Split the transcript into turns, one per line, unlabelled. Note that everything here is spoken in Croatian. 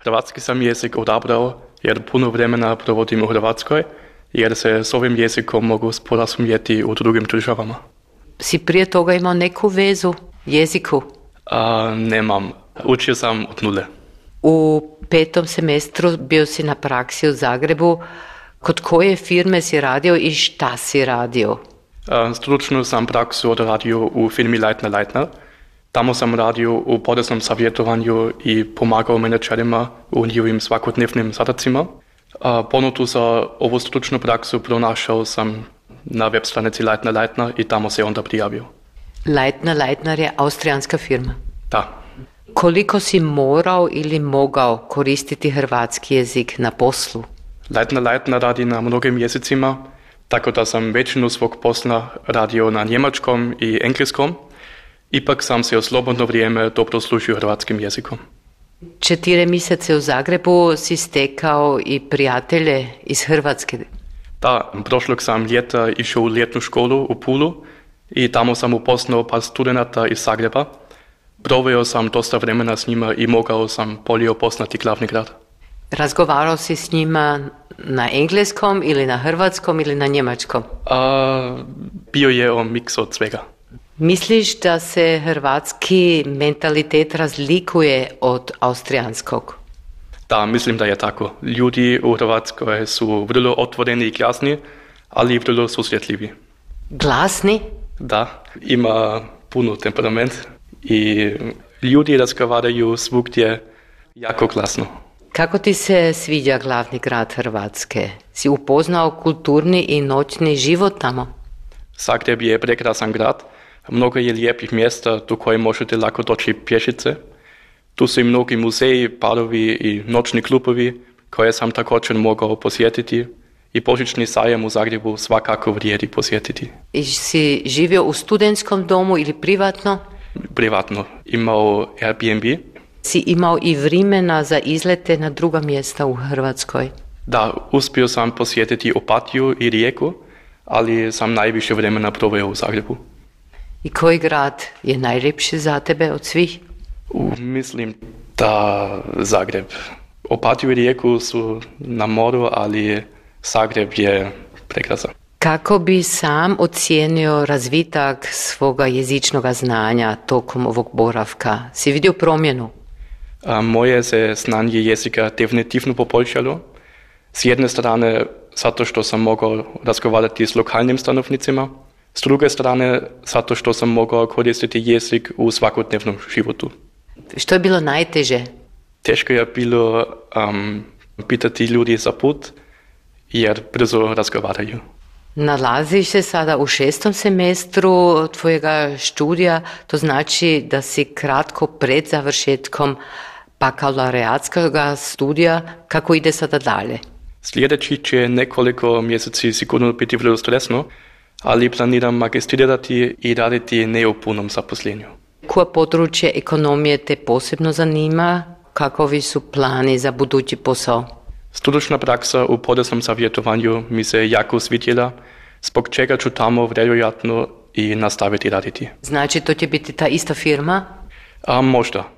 Hrvatski sam jezik odabrao jer puno vremena provodim u Hrvatskoj, jer se s ovim jezikom mogu sporazumjeti u drugim državama.
Si prije toga imao neku vezu jeziku?
Nemam. Učio sam od nule.
U 5. semestru bio si na praksi u Zagrebu. Kod koje firme si radio i šta si radio?
Stručnu sam praksu odradio u firmi Leitner Leitner. Tamo sam radio u poreznom savjetovanju i pomagao menadžerima u njihovim svakodnevnim zadacima. Ponudu za ovu stručnu praksu pronašao sam na web stranici Leitner Leitner i tamo se onda prijavio.
Leitner Leitner je austrijanska firma?
Da.
Koliko si morao ili mogao koristiti hrvatski jezik na poslu?
Leitner Leitner radi na mnogim jezicima, tako da sam većinu svog posla radio na njemačkom i engleskom. Ipak sam se u slobodno vrijeme dobro služio hrvatskim jezikom.
4 mjesece u Zagrebu si stekao i prijatelje iz Hrvatske.
Da, prošlog sam ljeta išao u ljetnu školu u Pulu i tamo sam upoznao par studenata iz Zagreba. Proveo sam dosta vremena s njima i mogao sam bolje upoznati glavni grad.
Razgovarao si s njima na engleskom ili na hrvatskom ili na njemačkom?
Bio je miks od svega.
Misliš da se hrvatski mentalitet razlikuje od austrijanskog?
Da, mislim da je tako. Ljudi u Hrvatskoj su vrlo otvoreni i glasni, ali vrlo susretljivi.
Glasni?
Da, ima puno temperament i ljudi razgovaraju svugdje jako glasno.
Kako ti se sviđa glavni grad Hrvatske? Si upoznao kulturni i noćni život tamo?
Zagreb je prekrasan grad. Mnogo je lijepih mjesta do koje možete lako doći pješice. Tu su i mnogi muzeji, barovi i noćni klubovi koje sam također mogao posjetiti i božićni sajam u Zagrebu svakako vrijedi posjetiti.
I si živio u studentskom domu ili privatno?
Privatno. Imao Airbnb.
Si imao i vremena za izlete na druga mjesta u Hrvatskoj?
Da, uspio sam posjetiti Opatiju i Rijeku, ali sam najviše vremena proveo u Zagrebu.
I koji grad je najljepši za tebe od svih?
Mislim da Zagreb. Opatiju i Rijeku su na moru, ali Zagreb je prekrasan.
Kako bi sam ocijenio razvitak svoga jezičnog znanja tokom ovog boravka? Si vidio promjenu?
Moje se znanje jezika definitivno poboljšalo. S jedne strane zato što sam mogao razgovarati s lokalnim stanovnicima, s druge strane zato što sam mogao koristiti jezik u svakodnevnom životu.
Što je bilo najteže?
Teško je bilo pitati ljudi za put, jer brzo razgovaraju.
Nalaziš se sada u 6. semestru tvojega studija, to znači da si kratko pred završetkom bakalaureatskog studija. Kako ide sada dalje?
Sljedeći će nekoliko mjeseci sigurno biti vrlo stresno, ali planiram magistrirati i raditi ne u punom zaposlenju.
Koje područje ekonomije te posebno zanima? Kakovi su plani za budući posao?
Stručna praksa u poreznom savjetovanju mi se jako svidjela, zbog čega ću tamo vjerojatno i nastaviti raditi.
Znači to će biti ta ista firma?
Možda.